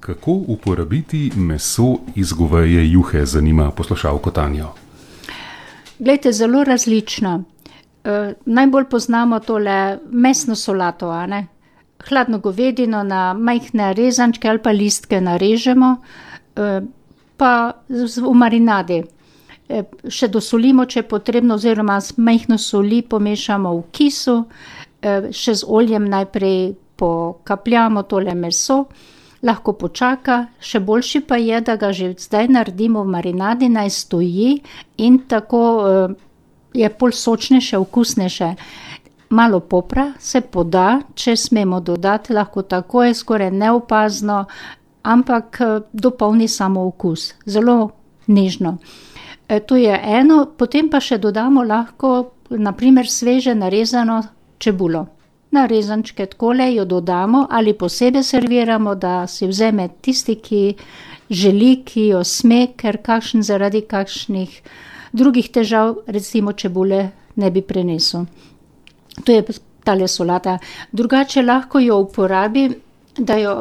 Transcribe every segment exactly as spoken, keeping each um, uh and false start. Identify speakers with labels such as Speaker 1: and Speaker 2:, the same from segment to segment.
Speaker 1: Kako uporabiti meso iz goveje juhe, zanima poslušalko Tanjo.
Speaker 2: Glejte, zelo različno. E, najbolj poznamo tole mesno solato, a ne. Hladno govedino na majhne rezančke ali pa listke narežemo, e, pa v marinadi. E, še dosolimo, če je potrebno, oziroma z majhno soli pomešamo v kisu, e, še z oljem najprej pokapljamo tole meso. Lahko počaka, še boljši pa je, da ga že zdaj naredimo v marinadi, naj stoji in tako uh, je pol sočnejše, okusnejše. Malo popra se poda, če smemo dodati, lahko tako je skoraj neopazno, ampak uh, dopolni samo okus, zelo nežno. E, to je eno, potem pa še dodamo lahko, naprimer sveže narezano čebulo. Na rezančke takole jo dodamo ali posebej serviramo, da si vzame tisti, ki želi, ki jo sme, ker kakšen zaradi kakšnih drugih težav, recimo čebule, ne bi prenesel. To je tale solata. Drugače lahko jo uporabi, da jo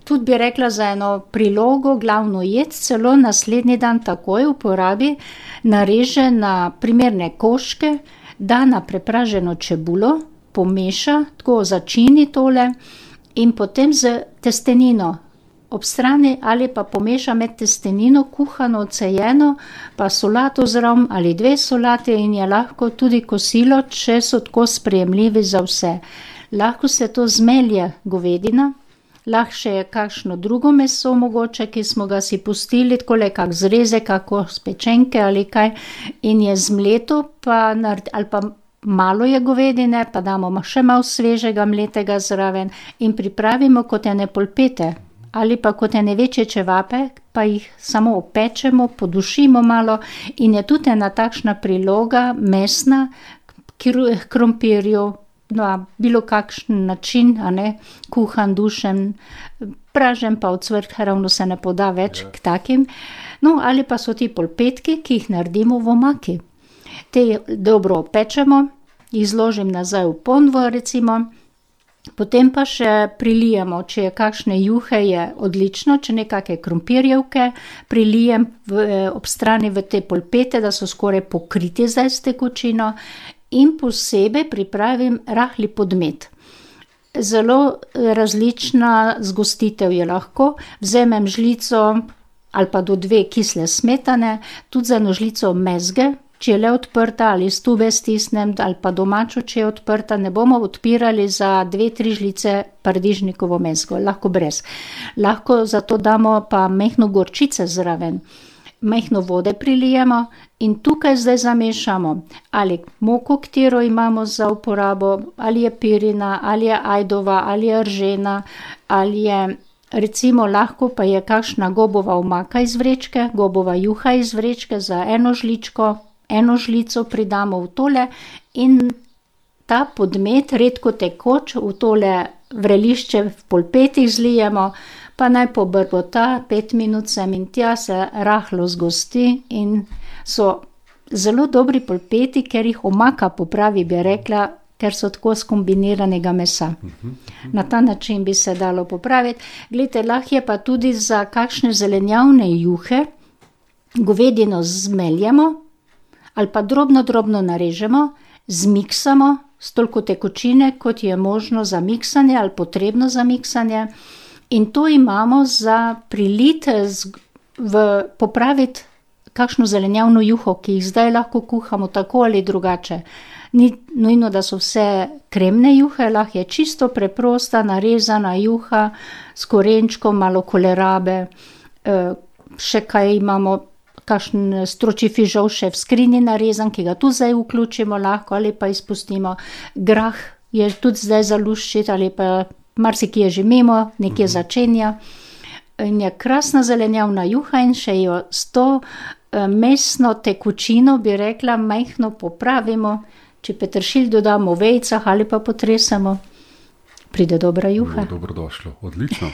Speaker 2: tudi bi rekla za eno prilogo, glavno jed, celo naslednji dan takoj uporabi, nareže na primerne koščke, da na prepraženo čebulo, pomeša, tako začini tole in potem z testenino ob strani ali pa pomeša med testenino, kuhano, odcejeno, pa solato zraven ali dve solate in je lahko tudi kosilo, če so tako sprejemljivi za vse. Lahko se to zmelje govedina, lahko še je kakšno drugo meso mogoče, ki smo ga si pustili, takole kak zrezek, kako spečenke ali kaj in je zmleto, pa naredi, ali pa malo je govedine, pa damo še malo svežega mletega zraven in pripravimo kot ene polpete ali pa kot ene večje čevape, pa jih samo opečemo, podušimo malo in je tudi ena takšna priloga mesna k krompirju, na bilo kakšen način, a ne, kuhan, dušen, pražen pa ocvrt, ravno se ne poda več k takim. No, ali pa so ti polpetki, ki jih naredimo v omaki. Te dobro opečemo, jih zložim nazaj v ponvo recimo, potem pa še prilijemo, če je kakšne juhe, je odlično, če nekake krompirjevke, prilijem v, ob strani v te polpete, da so skoraj pokriti zdaj s tekočino in posebej pripravim rahli podmet. Zelo različna zgostitev je lahko, vzamem žlico ali pa do dve kisle smetane, tudi za eno žlico mezge, če je le odprta ali iz tube stisnem, ali pa domačo, če je odprta, ne bomo odpirali za dve, tri žlice paradižnikovo mezgo, lahko brez. Lahko zato damo pa majhno gorčice zraven, majhno vode prilijemo in tukaj zdaj zamešamo ali moko, katero imamo za uporabo, ali je pirina, ali je ajdova, ali je ržena, ali je recimo lahko pa je kakšna gobova omaka iz vrečke, gobova juha iz vrečke za eno žličko, eno žlico pridamo v tole in ta podmet, redko tekoč, v tole vrelišče v polpetih zlijemo, pa naj pobrbota pet minut sem in tja, se rahlo zgosti in so zelo dobri polpeti, ker jih omaka popravi, bi rekla, ker so tako skombiniranega mesa. Na ta način bi se dalo popraviti. Glejte, lahko je pa tudi za kakšne zelenjavne juhe, govedino zmeljemo ali pa drobno, drobno narežemo, zmiksamo s toliko tekočine, kot je možno za miksanje ali potrebno za miksanje in to imamo za priliti, v, popraviti kakšno zelenjavno juho, ki jih zdaj lahko kuhamo tako ali drugače. Ni nujno, da so vse kremne juhe, lahko je čisto preprosta, narezana juha s korenčkom, malo kolerabe, še kaj imamo, kakšen stročji fižol še v skrini narezan, ki ga tudi zdaj vključimo lahko ali pa izpustimo. Grah je tudi zdaj za luščiti ali pa marsikje že mimo, nekje začenja. In je krasna zelenjavna juha in še jo s to mesno tekočino, bi rekla, majhno popravimo. Če peteršilj dodamo v vejicah ali pa potresemo, pride dobra juha.
Speaker 1: Dobrodošlo, odlično.